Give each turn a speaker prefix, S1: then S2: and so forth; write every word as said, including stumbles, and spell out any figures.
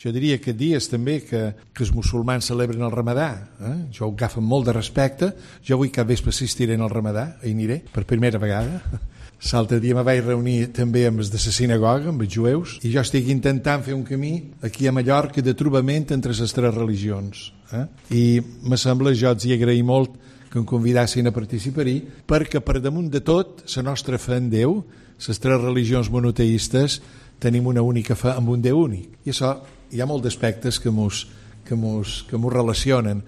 S1: Jo diria que dies també que, que els musulmans celebren el ramadà, eh? Jo ho agafo amb molt de respecte. Jo avui cap vespre assistiré al ramadà, hi aniré per primera vegada. L'altre dia me vaig reunir també amb els de la sinagoga, amb els jueus, i jo estic intentant fer un camí aquí a Mallorca de trobament entre les tres religions. Eh? I me sembla, jo els hi agraï molt que em convidassin a participar-hi, perquè per damunt de tot, la nostra fe en Déu, les tres religions monoteistes, tenim una única fe amb un Déu únic. I això hi ha molts aspectes que mos, que mos, que mos relacionen.